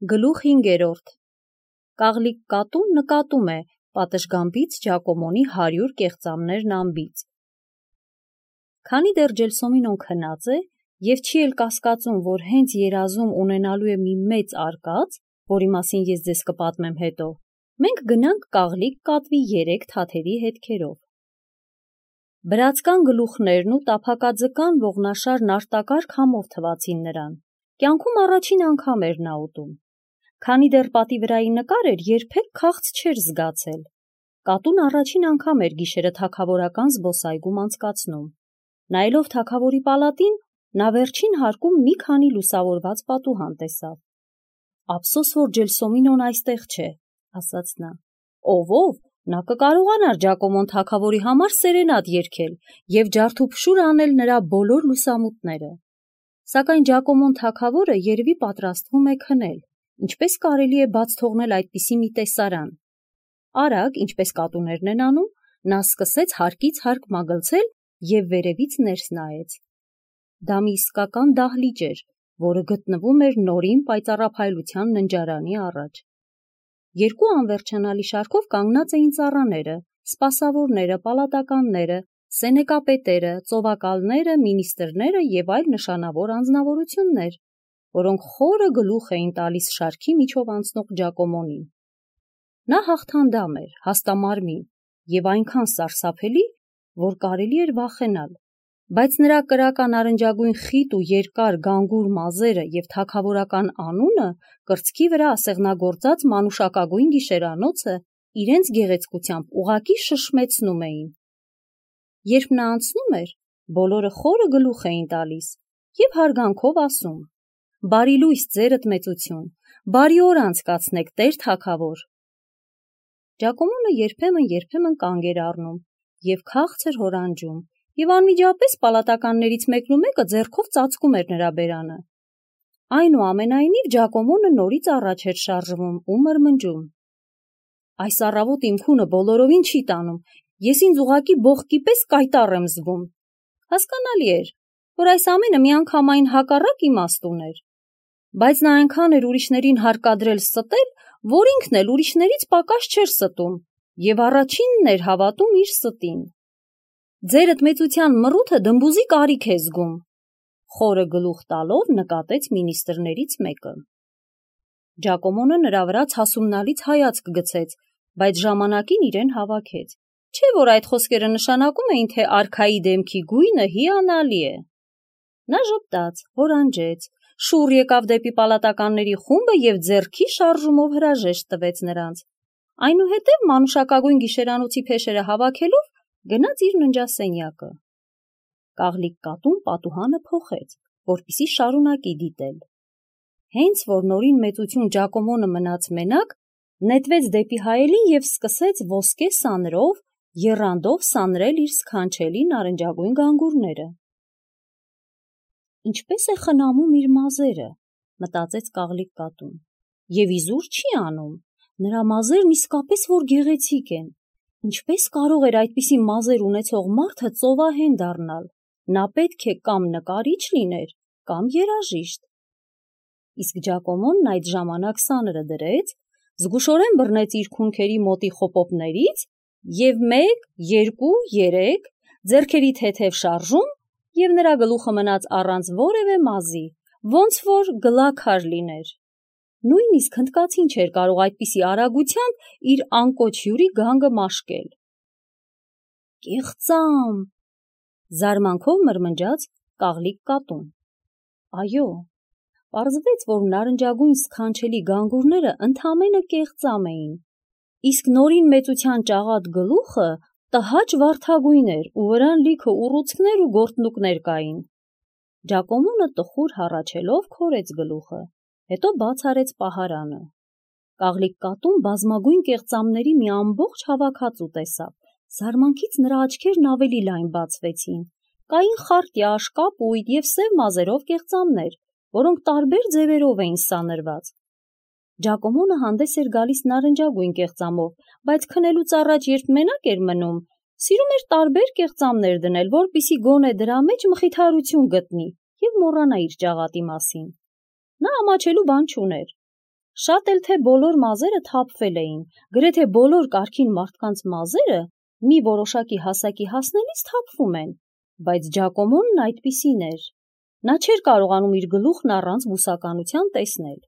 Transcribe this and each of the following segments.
Գլուխ 5. Կաղլիկ կատուն նկատում է պատշգամբից Ջակոմոնի 100 կեղծամներն անբից։ Քանի դեռ Ջելսոմինոն քնած է և չի էլ կասկածում, որ հենց երազում ունենալու է մի մեծ արկած, որի մասին ես ձեզ կպատմեմ հետո, մենք գնանք կաղլիկ կատվի 3 թաթերի հետքերով։ Բրացկան գլուխներն ու տափակաձկան ողնաշարն արտակարգ համով թվացին նրան, կյանքում առաջին անգամ էր նա ուտում։ Քանի դեռ պատի վրայի նկար էր, երբեք քաղց չէր զգացել։ Կատուն առաջին անգամ էր գիշերը թագավորական զբոսայգում անցկացնում։ Նայելով թագավորի պալատին, նա վերջին հարկում մի քանի լուսավորված պատուհան տեսավ։ Ափսոս, որ Ջելսոմինոն այստեղ չէ, ասաց նա։ Ով, նա կկարողանար Ջակոմոն թագավորի համար սերենադ երգել և ջարդուփշուր անել նրա բոլոր լուսամուտները։ Սակայն Ջակոմոն թագավորը երևի պատրաստվում է քնել, ինչպես կարելի է բաց թողնել այդպիսի մի տեսարան։ Արագ, ինչպես կատուներն են անում, նա սկսեց հարկից հարկ մագլցել և վերևից ներս նայեց։ Դա մի իսկական դահլիճ էր, որը գտնվում էր նորին պայծառափայլության ննջարանի առաջ։ Երկու անվերջանալի շարքով կանգնած էին ծառաները, սպասավորները, պալատականները, սենեկապետերը, ծովակալները, մինիստրները և այլ նշանավոր անձնավորություններ, որոնք խորը գլուխ էին տալիս շարքի միջով անցնող Ջակոմոնին։ Նա հաղթանդամ էր, հաստամարմին և այնքան սարսափելի, որ կարելի էր վախենալ, բայց նրա կրական արնջագույն խիտ ու երկար գանգուր մազերը և թագավորական անունը կրծքի վրա ասեղնագործած մանուշակագույն գիշերանոցը իրենց գեղեցկությամբ ուղղակի շշմեցնում էին։ Երբ նա անցնում էր, բոլորը խորը գլուխ էին տալիս և հարգանքով ասում. «Բարի լույս ձերդ մեծություն, բարի օր անցկացնեք, տեր թագավոր»։ Ջակոմոնը երբեմն կանգ էր առնում և քաղցր հորանջում, և անմիջապես պալատականներից մեկնումեկը ձեռքով ծածկում էր նրա բերանը։ Այնուամենայնիվ Ջակոմոնը նորից առաջ էր շարժվում ու մրմնջում. «Այս առավոտ իմ քունը բոլորովին չի տանում, ես ինձ ուղղակի բողկի պես կայտառ եմ զգում»։ Հասկանալի էր, որ այս ամենը միանգամայն հակառակ իմաստ ուներ, բայց նա այնքան էր ուրիշներին հարկադրել ստել, որ ինքն էլ ուրիշներից պակաս չէր ստում և առաջինն էր հավատում իր ստին։ «Ձերդ մեծության մռութը դմբուզի կարիք է զգում», խորը գլուխ տալով նկատեց մինիստրներից մեկը։ Ջակոմոնը նրա վրա ցասումնալից հայացք գցեց, բայց ժամանակին իրեն հավաքեց, չէ՞ որ այդ խոսքերը նշանակում էին, թե արքայի դեմքի գույնը հիանալի է։ Նա ժպտաց, հորանջեց, շուռ եկավ դեպի պալատականների խումբը և ձեռքի շարժումով հրաժեշտ տվեց նրանց, այնուհետև մանուշակագույն գիշերանոցի փեշերը հավաքելով գնաց իր ննջասենյակը։ Կաղլիկ կատուն պատուհանը փոխեց, որպեսզի շարունակի դիտել։ Հենց որ նորին մեծություն Ջակոմոնը մնաց մենակ, նետվեց դեպի հայելին և սկսեց ոսկե սանրով, եռանդով սանրել իր սքանչելի նարնջագույն գանգուրները։ Ինչպես է խնամում իր մազերը, մտածեց Կաղլիկ կատուն, և իզուր չի անում, նրա մազերն իսկապես որ գեղեցիկ են, ինչպես կարող էր այդպիսի մազեր ունեցող մարդը ծովահեն դառնալ, նա պետք է կամ նկարիչ լիներ, կամ երաժիշտ։ Իսկ Ջակոմոնն այդ ժամանակ սանրը դրեց, զգուշորեն բռնեց իր քունքերի մոտի խոպոպներից և 1, 2, 3 ձեռքերի թեթև շարժում, և նրա գլուխը մնաց առանց որևէ մազի, ոնց որ գլաքար լիներ։ Նույնիսկ հնդկացին չէր կարող այդպիսի արագությամբ իր անկոչ հյուրի գանգը մաշկել։ «Կեղծամ», զարմանքով մրմնջաց Կաղլիկ կատուն։ Այո, պարզվեց, որ նարնջագույն սքանչելի գանգուրները ընդամենը կեղծամ էին, իսկ նորին մեծության ճաղատ գլուխը տհաճ վարդագույն էր ու վրան լիքը ուռուցքներ ու գորտնուկներ կային։ Ջակոմոնը տխուր հառաչելով քորեց գլուխը, հետո բաց արեց պահարանը։ Կաղլիկ կատուն բազմագույն կեղծամների մի ամբողջ հավաքածու տեսավ, զարմանքից նրա աչքերն ավելի լայն բացվեցին, կային խարտյա, կապույտ և սև մազերով կեղծամներ, որոնք տարբեր ձևերով էին սանրված։ Ջակոմոնը հանդես էր գալիս նարնջագույն կեղծամով, բայց քնելուց առաջ, երբ մենակ էր մնում, սիրում էր տարբեր կեղծամներ դնել, որպեսզի գոնե դրա մեջ մխիթարություն գտնի և մոռանա իր ճաղատի մասին։ Նա ամաչելու բան չուներ։ Շատ էլ թե բոլոր մազերը թափվել էին, գրեթե բոլոր կարգին մարդկանց մազերը մի որոշակի հասակի հասնելիս թափվում են, բայց Ջակոմոնն այդպիսին էր։ Նա չէր կարողանում իր գլուխն առանց բուսականության տեսնել։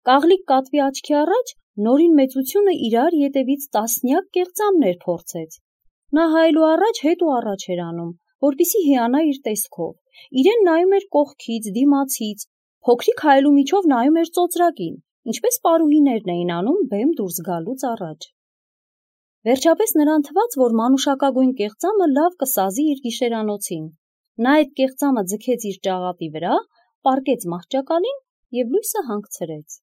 Կաղլիկ կատվի աչքի առաջ նորին մեծությունը իրար ետևից տասնյակ կեղծամներ փորձեց։ Նա հայելու առաջ հետ ու առաջ էր անում, որպեսզի հիանա իր տեսքով։ Իրեն նայում էր կողքից, դիմացից, փոքրիկ հայելու միջով նայում էր ծոծրակին, ինչպես պարուհիներն էին անում բեմ դուրս գալուց առաջ։ Վերջապես նրան թվաց, որ մանուշակագույն կեղծամը լավ կսազի իր գիշերանոցին։ Նա այդ կեղծամը ձգեց իր ճաղատի վրա, պառկեց մահճակալին և լույսը հանգցրեց։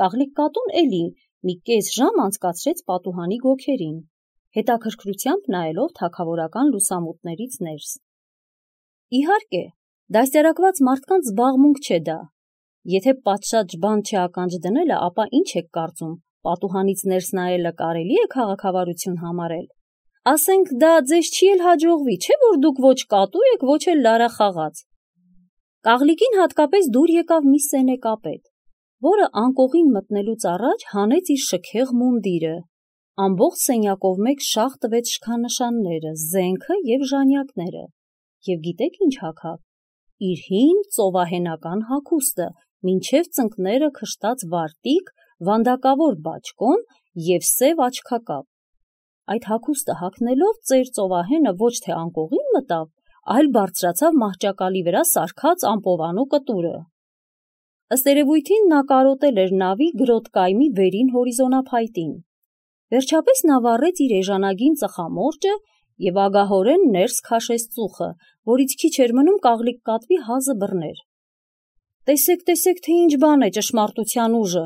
Կաղլիկ կատուն էլի մի կես ժամ անցկացրեց պատուհանի գոգերին, հետաքրքրությամբ նայելով թագավորական լուսամուտներից ներս։ Իհարկե, դաստիարակված մարդկանց զբաղմունք չէ դա։ Եթե պատշաճ բան չականջ դնելը, ապա ինչ եք կարծում, պատուհանից ներս նայելը կարելի է քաղաքավարություն համարել։ Ասենք դա ձեզ չի էլ հաջողվի, չէ՞ որ դուք ոչ կատու եք, ոչ էլ լարախաղաց։ Կաղլիկին հատկապես դուր եկավ մի սենեկապետ, որը անկողին մտնելուց առաջ հանեց իր շքեղ մունդիրը, ամբողջ սենյակով մեկ շաղ տվեց շքանշանները, զենքը և ժանյակները, և գիտեք ինչ հագավ։ Իր հին ծովահենական հագուստը, մինչև ծնկները քշտած վարտիք, վանդակավոր բաճկոն և սև աչքակապ։ Այդ հագուստը հագնելով ծեր ծովահենը ոչ թե անկողին մտավ, այլ բարձրացավ մահճակալի վրա սարքած ամպովանու կտուրը։ Ըստ երևույթին նա կարոտել էր նավի գրոտկայմի վերին հորիզոնափայտին։ Վերջապես նա վառեց իր էժանագին ծխամորճը և ագահորեն ներս քաշեց ծուխը, որից քիչ էր մնում կաղլիկ կատվի հազը բռներ։ «Տեսեք, տեսեք, թե ինչ բան է ճշմարտության ուժը»,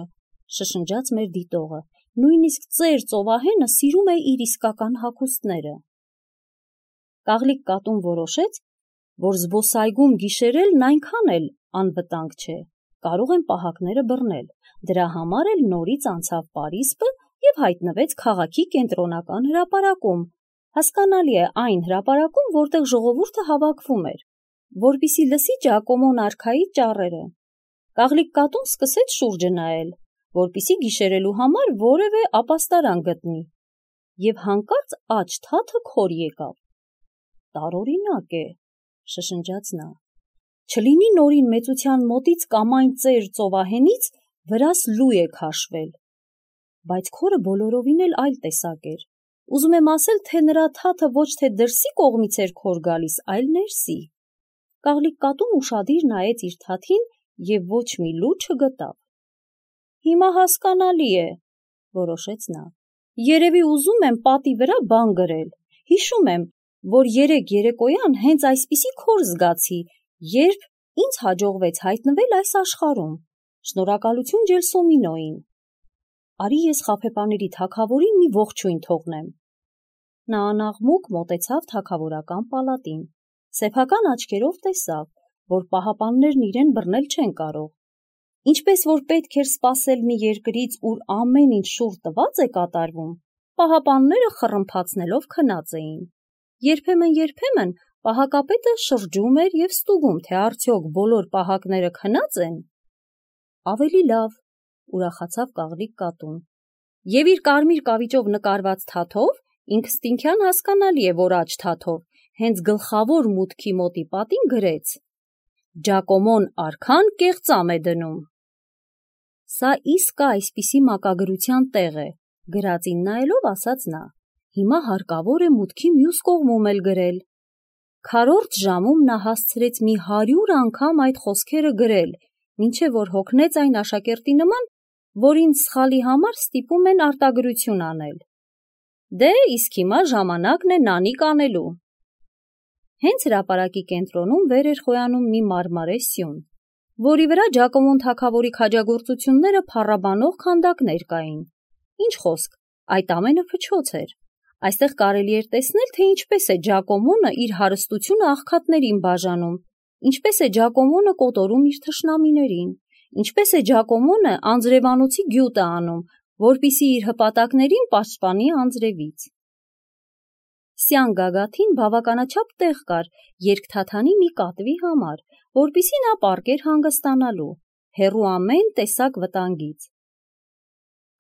շշնջաց մեր դիտողը, նույնիսկ ծեր ծովահենը սիրում է իր իսկական հագուստները։ Կաղլիկ կատուն որոշեց, որ զբոսայգում գիշերելն այնքան էլ անվտանգ չէ, կարող են պահակները բռնել, դրա համար էլ նորից անցավ պարիսպը և հայտնվեց քաղաքի կենտրոնական հրապարակում, հասկանալի է այն հրապարակում, որտեղ ժողովուրդը հավաքվում էր, որպեսզի լսի Ջակոմոն արքայի ճառերը։ Կաղլիկ կատուն սկսեց շուրջը նայել, որպեսզի գիշերելու համար որևէ ապաստարան գտնի, և հանկարծ աջ թաթը քոր եկավ։ «Տարօրինակ է», շշնջաց նա, «չլինի նորին մեծության մոտից կամ այն ծեր ծովահենից վրաս լու է քաշվել»։ Բայց քորը բոլորովին էլ այլ տեսակ էր։ Ուզում եմ ասել, թե նրա թաթը ոչ թե դրսի կողմից էր քոր գալիս, այլ ներսի։ Կաղլիկ կատուն ուշադիր նայեց իր թաթին և ոչ մի լու չգտավ։ «Հիմա հասկանալի է», որոշեց նա։ «Երևի ուզում եմ պատի վրա բան գրել։ Հիշում եմ, որ երեկ երեկոյան հենց այսպիսի քոր զգացի, երբ ինձ հաջողվեց հայտնվել այս աշխարհում։ Շնորհակալություն Ջելսոմինոյին։ Արի ես խաբեբաների թագավորին մի ողջույն թողնեմ»։ Նա անաղմուկ մոտեցավ թագավորական պալատին, սեփական աչքերով տեսավ, որ պահապաններն իրեն բռնել չեն կարող։ Ինչպես որ պետք էր սպասել մի երկրից, ուր ամեն ինչ շուռ տված է կատարվում, պահապանները խռմփացնելով քնած էին։ Երբեմն պահակապետը շրջում էր և ստուգում, թե արդյոք բոլոր պահակները քնած են։ Ավելի լավ, ուրախացավ կաղլիկ կատուն, և իր կարմիր կավիճով նկարված թաթով ինքնըստինքյան հասկանալի է, որ աջ թաթով, հենց գլխավոր մուտքի մոտի պատին գրեց. «Ջակոմոն արքան կեղծամ է դնում»։ Սա իսկ այսպիսի մակագրության տեղ է, գրածին նայելով ասաց նա, հիմա հարկավոր է մուտքի մյուս կողմում էլ գրել։ Քառորդ ժամում նա հասցրեց մի 100 անգամ այդ խոսքերը գրել, մինչև որ հոգնեց այն աշակերտի նման, որին սխալի համար ստիպում են արտագրություն անել։ Դե, իսկ հիմա ժամանակն է նանիք անելու։ Հենց հրապարակի կենտրոնում վեր էր խոյանում մի մարմարե սյուն, որի վրա Ջակոմոն թագավորի քաջագործությունները փառաբանող քանդակներ կային։ Ինչ խոսք, այդ ամենը փչոց էր։ Այստեղ կարելի էր տեսնել, թե ինչպես է Ջակոմոնը իր հարստությունը աղքատներին բաժանում, ինչպես է Ջակոմոնը կոտորում իր թշնամիներին, ինչպես է Ջակոմոնը անձրևանոցի գյուտը անում, որպեսզի իր հպատակներին պաշտպանի անձրևից։ Սյան գագաթին բավականաչափ տեղ կար երկթաթանի մի կատվի համար, որպեսզի նա պառկեր հանգստանալու, հեռու ամեն տեսակ վտանգից։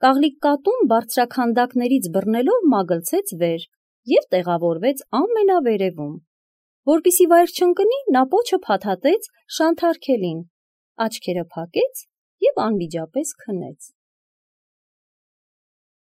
Կաղլիկ կատուն բարձրաքանդակներից բռնելով մագլցեց վեր և տեղավորվեց ամենավերևում։ Որպեսզի վայր չընկնի, նա պոչը փաթաթեց Շանթարքելին, աչքերը փակեց և անմիջապես քնեց։